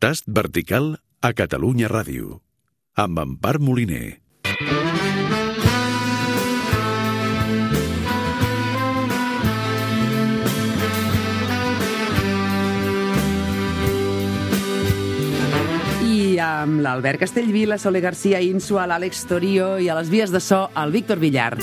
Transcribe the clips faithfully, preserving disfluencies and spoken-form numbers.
Tast vertical a Catalunya Ràdio, amb Empar Moliner. I amb l'Albert Castellví, la Sole García Insua, l'Àlex Torio i a les vies de so, el Víctor Villar.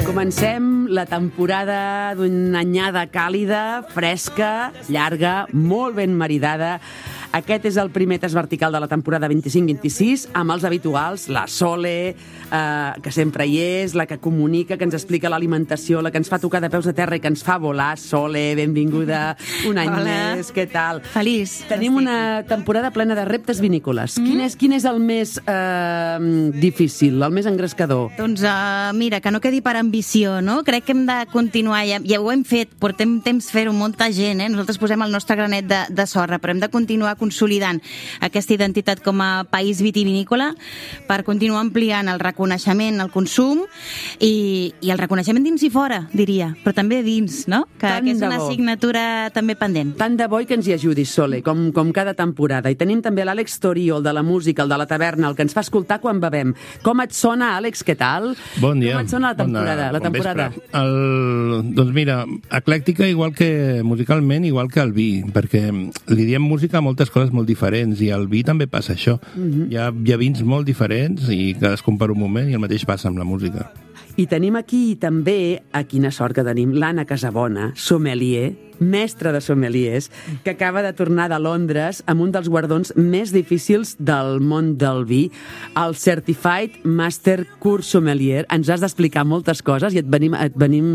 Comencem la temporada d'una anyada càlida, fresca, llarga, molt ben maridada. Aquest és el primer tast vertical de la temporada vint-i-cinc vint-i-sis, amb els habituals, la Sole, eh, que sempre hi és, la que comunica, que ens explica l'alimentació, la que ens fa tocar de peus a terra i que ens fa volar. Sole, benvinguda, un any Hola. més, què tal? Feliç. Tenim una temporada plena de reptes vinícoles. Mm. Quin, és, quin és el més eh, difícil, el més engrescador? Doncs uh, mira, que no quedi per ambició, no? Crec que hem de continuar, ja, ja ho hem fet, portem temps fer-ho, molta gent, eh? Nosaltres posem el nostre granet de, de sorra, però hem de continuar consolidant aquesta identitat com a país vitivinícola per continuar ampliant el reconeixement, el consum i, i el reconeixement dins i fora, diria, però també dins, no? Que, que és una assignatura també pendent. Tant de bo i que ens hi ajudis, Sole, com, com cada temporada. I tenim també l'Àlex Torio, el de la música, el de la taverna, el que ens fa escoltar quan bevem. Com et sona, Àlex, què tal? Bon dia. Com et sona la temporada? Bona, la temporada? El, doncs mira, eclèctica igual que musicalment, igual que el vi, perquè li diem música a moltes coses molt diferents i al vi també passa això. Mm-hmm. hi, ha, hi ha vins molt diferents i cadascun per un moment i el mateix passa amb la música. I tenim aquí també, a quina sort que tenim, l'Anna Casabona, sommelier, mestra de sommeliers, que acaba de tornar de Londres amb un dels guardons més difícils del món del vi, el Certified Master Course Sommelier. Ens has d'explicar moltes coses i et, venim, et, venim,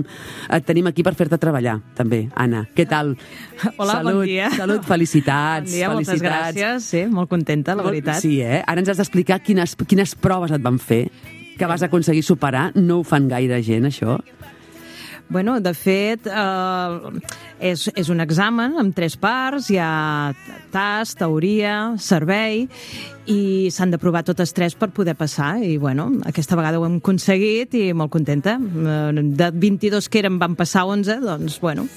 et tenim aquí per fer-te treballar, també. Anna, què tal? Hola, salut, bon dia. Salut, felicitats. Bon dia, moltes felicitats. gràcies. Sí, molt contenta, la veritat. Sí, eh? Ara ens has d'explicar quines, quines proves et van fer que vas aconseguir superar. No ho fan gaire gent, això? Bueno, de fet, eh, és, és un examen amb tres parts, hi ha tast, teoria, servei, i s'han de provar totes tres per poder passar, i bueno, aquesta vegada ho hem aconseguit i molt contenta. De vint-i-dos que eren van passar onze, doncs bueno...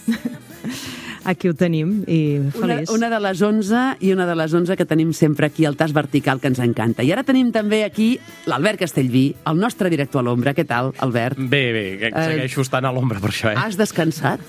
Aquí ho tenim i feliç. Una, una de les onze i una de les onze que tenim sempre aquí, el tast vertical, que ens encanta. I ara tenim també aquí l'Albert Castellví, el nostre director a l'ombra. Què tal, Albert? Bé, bé, que segueixo estant a l'ombra per això, eh? Has descansat?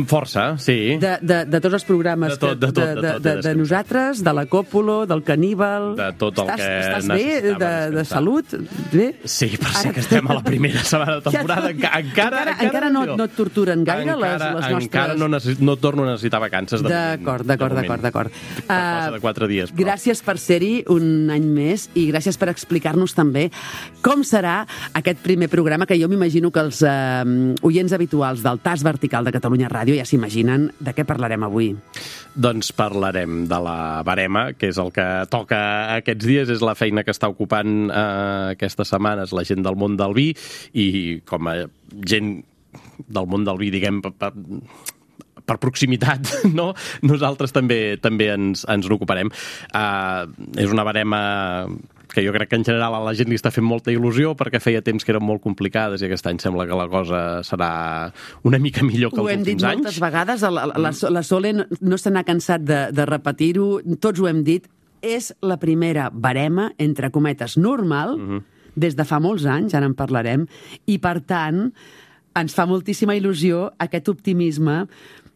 Força, sí. De, de, de tots els programes de, tot, de, tot, de, de, de, de, de nosaltres, de la Còpolo, del Caníbal... De tot el estàs, que estàs bé? De, de salut? Bé? Sí, per ser que estem a la primera setmana de temporada. Encara, encara, encara, encara no, no et torturen gaire encara, les, les nostres... Encara no, necessit, no torno a necessitar vacances. D'acord, d'acord, d'acord, d'acord. Per cosa de quatre dies. Però. Gràcies per ser-hi un any més i gràcies per explicar-nos també com serà aquest primer programa, que jo m'imagino que els eh, oients habituals del Tast Vertical de Catalunya Ràdio ja s'imaginen. De què parlarem avui? Doncs parlarem de la barema, que és el que toca aquests dies, és la feina que està ocupant eh, aquestes setmanes la gent del món del vi, i com a gent del món del vi, diguem, per, per proximitat, no? Nosaltres també també ens, ens n'ocuparem. Uh, és una barema que jo crec que en general a la gent li està fent molta il·lusió, perquè feia temps que eren molt complicades i aquest any sembla que la cosa serà una mica millor que els últims anys. Ho hem dit moltes vegades, la, la, la Sole no, no se n'ha cansat de, de repetir-ho, tots ho hem dit, és la primera barema, entre cometes, normal, uh-huh. des de fa molts anys, ara en parlarem, i per tant ens fa moltíssima il·lusió aquest optimisme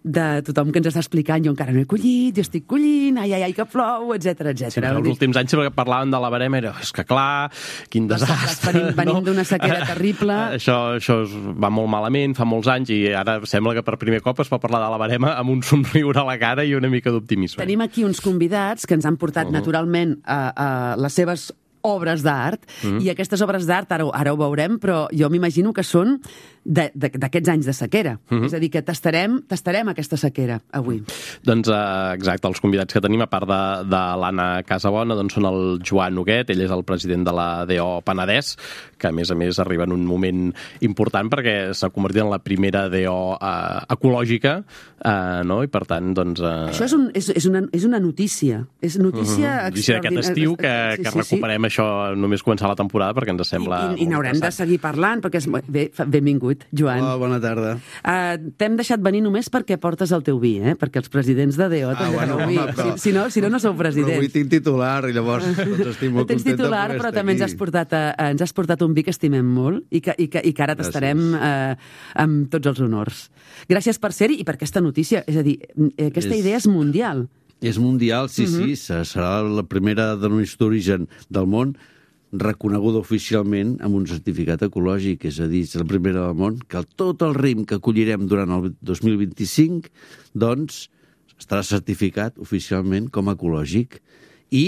de tothom que ens està explicant, jo encara no he collit, jo estic collint, ai, ai, ai, que plou, etcètera, etcètera. Sí, els últims anys sempre que parlaven de la barema era, és que clar, quin desastre. Venim, venim no? d'una sequera terrible. Això, això va molt malament, fa molts anys, i ara sembla que per primer cop es pot parlar de la barema amb un somriure a la cara i una mica d'optimisme. Tenim aquí uns convidats que ens han portat uh-huh. naturalment a, a les seves obres d'art, uh-huh. i aquestes obres d'art, ara, ara ho veurem, però jo m'imagino que són d'aquests anys de sequera. Uh-huh. És a dir, que tastarem, tastarem aquesta sequera avui. Doncs eh, exacte, els convidats que tenim, a part de, de l'Anna Casabona, doncs són el Joan Huguet, ell és el president de la D O Penedès, que a més a més arriba en un moment important perquè s'ha convertit en la primera D O eh, ecològica, eh, no? I per tant, doncs... Eh... Això és, un, és, és, una, és una notícia. És notícia uh-huh. Notícia d'aquest estiu que, sí, que sí, recuperem sí. això només començar la temporada, perquè ens sembla... I, i, i n'haurem de seguir parlant, perquè és... Bé, benvingut, Joan. Hola, bona tarda. Uh, T'hem deixat venir només perquè portes el teu vi, eh? Perquè els presidents de D O també ah, bueno, vi. Home, però... si, si, no, si no, no sou presidents. Però avui tinc titular, i llavors doncs, estic molt Tens contenta titular, però també ens has, portat, uh, ens has portat un vi que estimem molt i que, i que, i que ara t'estarem uh, amb tots els honors. Gràcies per ser-hi i per aquesta notícia. És a dir, aquesta és... idea és mundial. És mundial, sí, uh-huh. sí. Serà la primera denominació d'origen del món reconeguda oficialment amb un certificat ecològic, és a dir, és la primera del món, que tot el raïm que acollirem durant el dos mil vint-i-cinc, doncs, estarà certificat oficialment com a ecològic. I,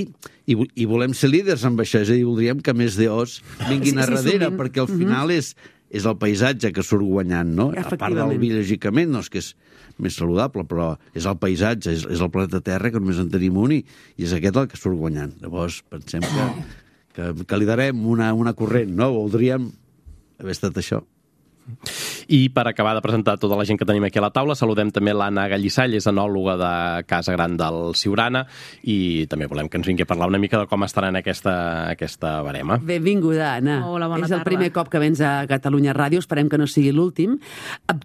i, i volem ser líders amb això, és a dir, voldríem que més D Os vinguin sí, a darrere, sí, perquè al final uh-huh. és, és el paisatge que surt guanyant, no? A part del vi, lògicament, no és que és més saludable, però és el paisatge, és, és el planeta Terra, que només en tenim un, i, i és aquest el que surt guanyant. Llavors, pensem que, que, que li darem una, una corrent, no? Voldríem haver estat això. I per acabar de presentar tota la gent que tenim aquí a la taula, saludem també l'Anna Gallissall, és enòloga de Casa Gran del Siurana, i també volem que ens vingui a parlar una mica de com estarà en aquesta, aquesta barema. Benvinguda, Anna. Hola, bona és el tarda. primer cop que vens a Catalunya Ràdio, esperem que no sigui l'últim.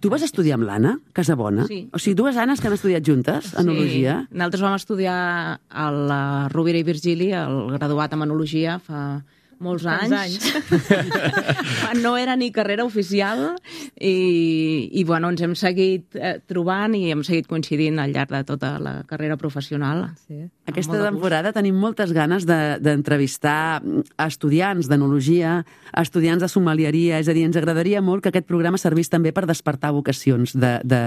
Tu vas estudiar amb l'Anna Casabona? Sí. O sigui, dues Annes que han estudiat juntes, enologia? Sí, nosaltres vam estudiar a la Rovira i Virgili, el graduat en enologia, fa molts anys. anys. No era ni carrera oficial i, i bueno, ens hem seguit eh, trobant i hem seguit coincidint al llarg de tota la carrera professional. Sí. Aquesta temporada tenim moltes ganes d'entrevistar de, estudiants d'enologia, estudiants de sommelieria, és a dir, ens agradaria molt que aquest programa servís també per despertar vocacions de, de,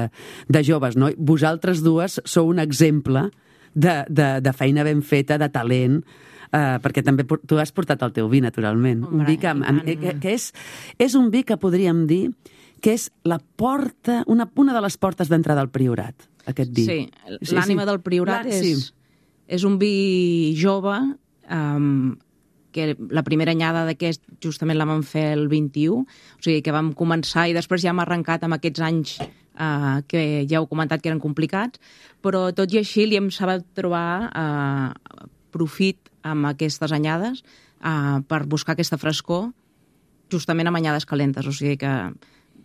de joves, no? Vosaltres dues sou un exemple de, de, de feina ben feta, de talent, Uh, perquè també tu has portat el teu vi, naturalment. Hombre, un vi que, que, que és, és un vi que podríem dir que és la porta, una, una de les portes d'entrada al Priorat, aquest vi. Sí, l'ànima sí, sí. del Priorat és, sí. és un vi jove, um, que la primera anyada d'aquest justament la vam fer el vint-i-u, o sigui que vam començar i després ja hem arrencat amb aquests anys uh, que ja heu comentat que eren complicats, però tot i així li hem sabut trobar uh, profit amb aquestes anyades uh, per buscar aquesta frescor justament amb anyades calentes. O sigui que,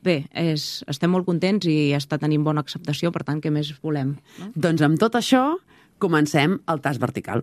bé, és, estem molt contents i està tenint bona acceptació, per tant, què més volem? No? Doncs amb tot això comencem el tast vertical.